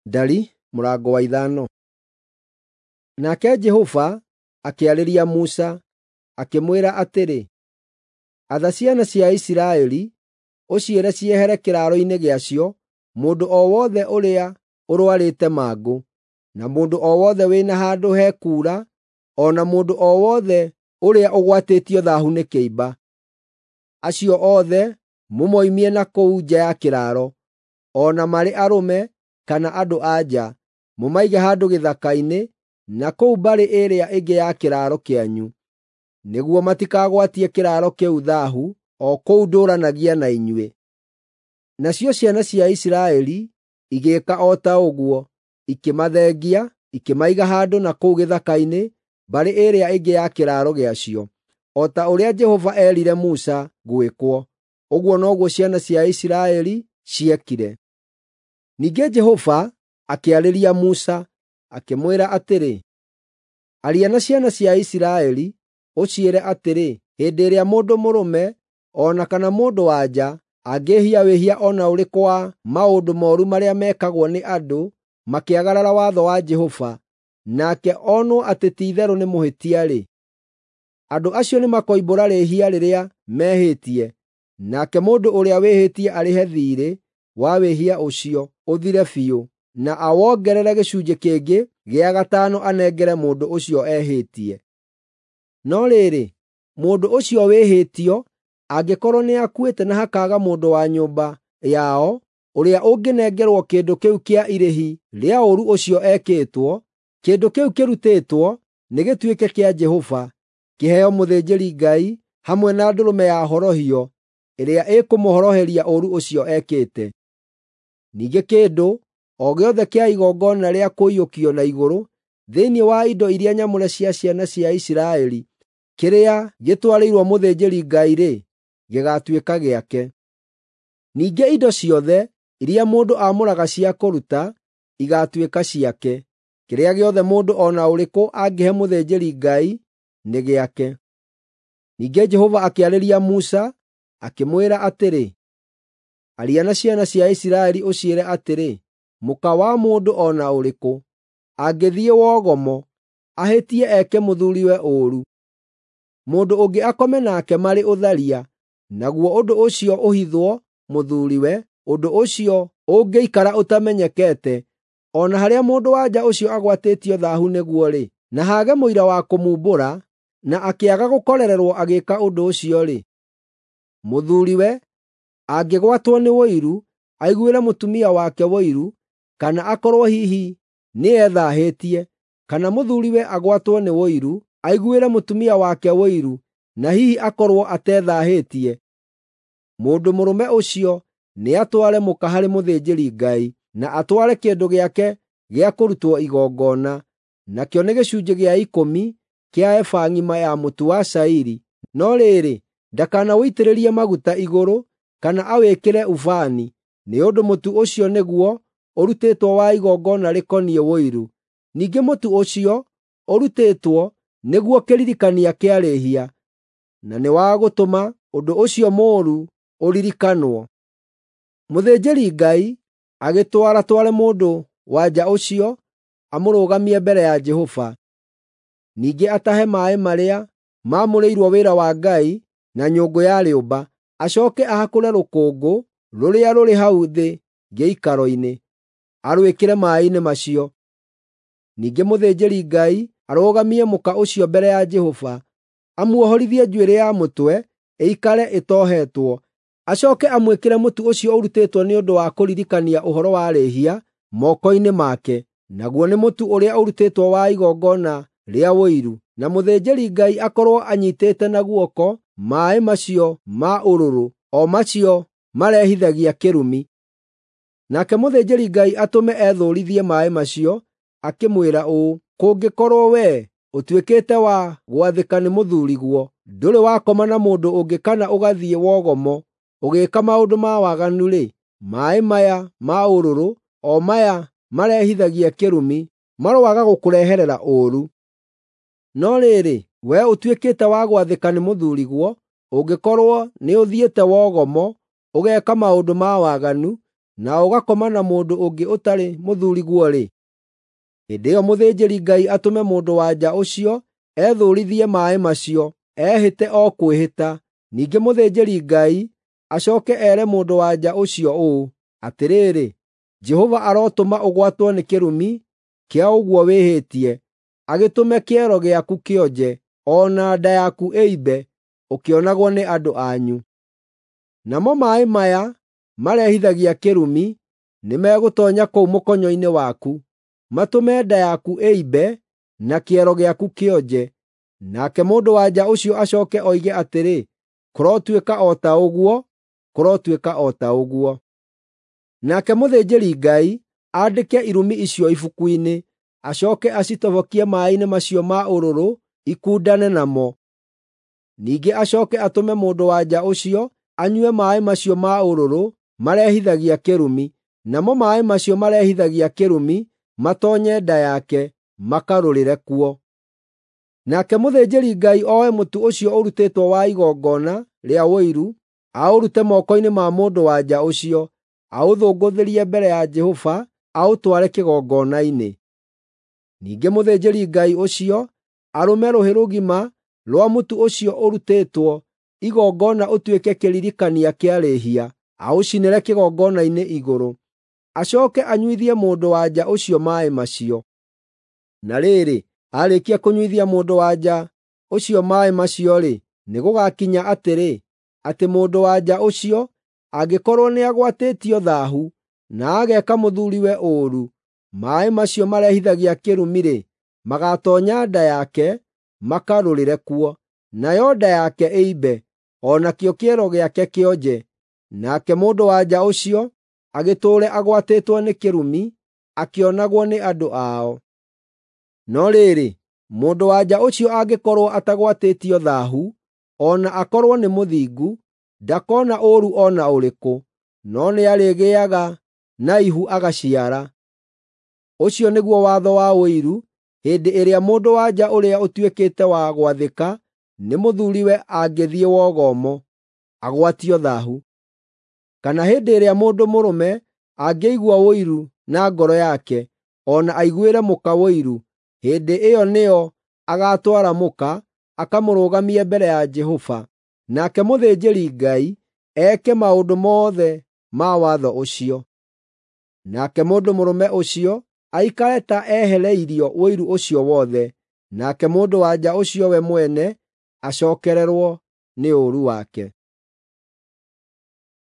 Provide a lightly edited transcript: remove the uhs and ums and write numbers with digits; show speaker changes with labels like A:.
A: Ndari mũrango wa 5. Nake Jehova akĩarĩria Musa, akĩmwĩra atĩrĩ, Atha ciana cia Isiraeli, ũciĩre ciehere kĩraaro-inĩ gĩacio mũndũ o wothe ũrĩa ũrũarĩte mangũ, na mũndũ o wothe wĩna handũ hekuura, o na mũndũ o wothe ũrĩa ũgwatĩtio thaahu nĩ kĩimba. Acio othe mũmoimie na kũu nja ya kĩraaro, o na marĩ arũme kana andũ-a-nja, mũmaige handũ gĩthaka-inĩ na kũu mbarĩ ĩrĩa ĩngĩ ya kĩraaro kĩanyu, nĩguo matikagwatie kĩraaro kĩu thaahu o kũu ndũũranagia na inyuĩ. Nacio ciana cia Isiraeli igĩĩka o ta ũguo, ikĩmathengia, ikĩmaiga handũ na kũu gĩthaka-inĩ mbarĩ ĩrĩa ĩngĩ ya kĩraaro gĩacio, o ta ũrĩa Jehova eerire Musa gwĩkwo, ũguo noguo ciana cia Isiraeli ciekire. Ningĩ Jehova akĩarĩria Musa, akĩmwĩra atĩrĩ, Aria na ciana cia Isiraeli, ũciĩre atĩrĩ, hĩndĩ ĩrĩa mũndũ mũrũme o na kana mũndũ-wa-nja angĩĩhia wĩhia o na ũrĩkũ wa maũndũ mooru marĩa mekagwo nĩ andũ makĩagarara watho wa Jehova, nake onwo atĩ ti-itherũ nĩ mũhĩtia-rĩ, andũ acio nĩmakoimbũra rĩĩhia rĩrĩa mehĩtie, nake mũndũ ũrĩa wĩhĩtie arĩhe thiirĩ wa wĩhia ũcio ũthire biũ, na awongerere gĩcunjĩ kĩngĩ gĩa gatano anengere mũndũ ũcio ehĩtie. No rĩrĩ, mũndũ ũcio wĩhĩtio angĩkorwo nĩakuĩte na hakaaga mũndũ wa nyũmba yao ũrĩa ũngĩnengerwo kĩndũ kĩu kĩa irĩhi rĩa ũũru ũcio ekĩtwo, kĩndũ kĩu kĩrutĩtwo nĩgĩtuĩke kĩa Jehova, kĩheo mũthĩnjĩri-Ngai hamwe na ndũrũme ya horohio ĩrĩa ĩkũmũhoroheria ũũru ũcio ekĩte. Ningĩ kĩndũ o gĩothe kĩa igongona rĩa kũiyũkio na igũrũ thĩinĩ wa indo iria nyamũre cia ciana cia Isiraeli kĩrĩa gĩtwarĩirwo mũthĩnjĩri-Ngai-rĩ, gĩgaatuĩka gĩake. Ningĩ indo ciothe iria mũndũ aamũraga cia kũruta igaatuĩka ciake. Kĩrĩa gĩothe mũndũ o na ũrĩkũ angĩhe mũthĩnjĩri-Ngai nĩ gĩake. Ningĩ Jehova akĩarĩria Musa, akĩmwĩra atĩrĩ, Aria na ciana cia Isiraeli ũciĩre atĩrĩ, mũka wa mũndũ o na ũrĩkũ angĩthiĩ wogomo, ahĩtie eke mũthuuriwe ũũru, mũndũ ũngĩ akome nake marĩ ũtharia, naguo ũndũ ũcio ũhithwo mũthuuriwe, ũndũ ũcio ũngĩikara ũtamenyekete, o na harĩa mũndũ-wa-nja ũcio agwatĩtio thaahu nĩguo-rĩ, na haage mũira wa kũmumbũra, na akĩaga gũkorererwo agĩĩka ũndũ ũcio-rĩ, mũthuuriwe angĩgwatwo nĩ ũiru, aiguĩre mũtumia wake ũiru, kana akorwo hihi nĩethaahĩtie, kana mũthuuriwe agwatwo nĩ ũiru, aiguĩre mũtumia wake ũiru, na hihi akorwo atethaahĩtie, mũndũ mũrũme ũcio nĩatware mũka harĩ mũthĩnjĩri-Ngai, na atware kĩndũ gĩake gĩa kũrutwo igongona, nakĩo nĩ gĩcunjĩ gĩa ikũmi kĩa eba ng'ima ya mũtu wa cairi, no rĩrĩ, ndakanawũitĩrĩrie maguta igũrũ kana awĩkĩre ubani, nĩ ũndũ mũtu ũcio nĩguo ũrutĩtwo wa igongona rĩkoniĩ ũiru. Ningĩ mũtu ũcio ũrutĩtwo nĩguo kĩririkania kĩa rĩĩhia, na nĩ wa gũtũma ũndũ ũcio mũũru ũririkanwo. Mũthĩnjĩri-Ngai agĩtwaratware mũndũ-wa-nja ũcio amũrũgamie mbere ya Jehova. Ningĩ atahe maaĩ marĩa maamũrĩirwo wĩra wa Ngai na nyũngũ ya rĩũmba, acooke ahakũre rũkũngũ rũrĩa rũrĩ hau thĩ gĩikaro-inĩ, arwĩkĩre maaĩ-inĩ macio. Ningĩ mũthĩnjĩri-Ngai arũgamie mũka ũcio mbere ya Jehova, amuohorithie njuĩrĩ ya mũtwe ĩikare ĩtohetwo, acooke amwĩkĩre mũtu ũcio ũrutĩtwo nĩ ũndũ wa kũririkania ũhoro wa rĩĩhia moko-inĩ make, naguo nĩ mũtu ũrĩa ũrutĩtwo wa igongona rĩa ũiru, na mũthĩnjĩri-Ngai akorwo anyiitĩte na guoko maaĩ macio ma ũrũrũ, o macio marehithagia kĩrumi. Nake mũthĩnjĩri-Ngai atũme ethũũrithie maaĩ macio, akĩmwĩra ũũ, “Kũngĩkorwo wee ũtuĩkĩte wa gwathĩka nĩ mũthuuriguo, ndũrĩ wakoma na mũndũ ũngĩ kana ũgathiĩ wogomo ũgĩĩka maũndũ ma waganu-rĩ, maaĩ maya ma ũrũrũ, o maya marehithagia kĩrumi, maroaga gũkũreherera ũũru. No rĩrĩ, wee ũtuĩkĩte wa gwathĩka nĩ mũthuuriguo, ũngĩkorwo nĩũthiĩte wogomo ũgeeka maũndũ ma waganu, na ũgakoma na mũndũ ũngĩ ũtarĩ mũthuuriguo-rĩ, hĩndĩ ĩyo mũthĩnjĩri-Ngai atũme mũndũ-wa-nja ũcio ethũũrithie maaĩ macio, ehĩte o kwĩhĩta. Ningĩ mũthĩnjĩri-Ngai acooke ere mũndũ-wa-nja ũcio ũũ, “Atĩrĩrĩ, Jehova arotũma ũgwatwo nĩ kĩrumi kĩa ũguo wĩhĩtie, agĩtũme kĩero gĩaku kĩonje, o na nda yaku ĩimbe, ũkĩonagwo nĩ andũ anyu. Namo maaĩ maya marehithagia kĩrumi nĩmegũtoonya kũu mũkonyo-inĩ waku, matũme nda yaku ĩimbe na kĩero gĩaku kĩonje.” Nake mũndũ-wa-nja ũcio acooke oige atĩrĩ, “Kũrotuĩka o ta ũguo! Kũrotuĩka o ta ũguo!” Nake mũthĩnjĩri-Ngai aandĩke irumi icio ibuku-inĩ, acooke acitobokie maaĩ-inĩ macio ma ũrũrũ ikundane namo. Ningĩ acooke atũme mũndũ-wa-nja ũcio anyue maaĩ macio ma ũrũrũ marehithagia kĩrumi, namo maaĩ macio marehithagia kĩrumi matoonye nda yake, makarũrĩre kuo. Nake mũthĩnjĩri-Ngai oe mũtu ũcio ũrutĩtwo wa igongona rĩa ũiru, aũrute moko-inĩ ma mũndũ-wa-nja ũcio, aũthũngũthĩrie mbere ya Jehova aũtware kĩgongona-inĩ. Ningĩ mũthĩnjĩri-Ngai ũcio arũme rũhĩ rũgima rwa mũtu ũcio ũrutĩtwo igongona ũtuĩke kĩririkania kĩa rĩĩhia, aũcinĩre kĩgongona-inĩ igũrũ. Acooke anyuithie mũndũ-wa-nja ũcio maaĩ macio. Na rĩrĩ, aarĩkia kũnyuithia mũndũ-wa-nja ũcio maaĩ macio-rĩ, nĩgũgakinya atĩrĩ, atĩ mũndũ-wa-nja ũcio angĩkorwo nĩagwatĩtio thaahu na ageeka mũthuuriwe ũũru, maaĩ macio marehithagia kĩrumi-rĩ, magaatoonya nda yake makarũrĩre kuo, nayo nda yake ĩimbe, o nakĩo kĩero gĩake kĩonje. Nake mũndũ-wa-nja ũcio agĩtũũre agwatĩtwo nĩ kĩrumi, akĩonagwo nĩ andũ ao. No rĩrĩ, mũndũ-wa-nja ũcio angĩkorwo atagwatĩtio thaahu, o na akorwo nĩ mũthingu, ndakona ũũru o na ũrĩkũ, no nĩarĩgĩaga na ihu agaciara. Ũcio nĩguo watho wa ũiru hĩndĩ ĩrĩa mũndũ-wa-nja ũrĩa ũtuĩkĩte wa gwathĩka nĩ mũthuuriwe angĩthiĩ wogomo, agwatio thaahu. Kana hĩndĩ ĩrĩa mũndũ mũrũme angĩigua ũiru na ngoro yake, o na aiguĩre mũka ũiru, hĩndĩ ĩyo nĩyo agaatwara mũka, akamũrũgamie mbere ya Jehova, nake mũthĩnjĩri-Ngai eke maũndũ mothe ma watho ũcio. Nake mũndũ mũrũme ũcio aikare ta ehereirio ũiru ũcio wothe, nake mũndũ-wa-nja ũcio we mwene acookererwo nĩ ũũru wake.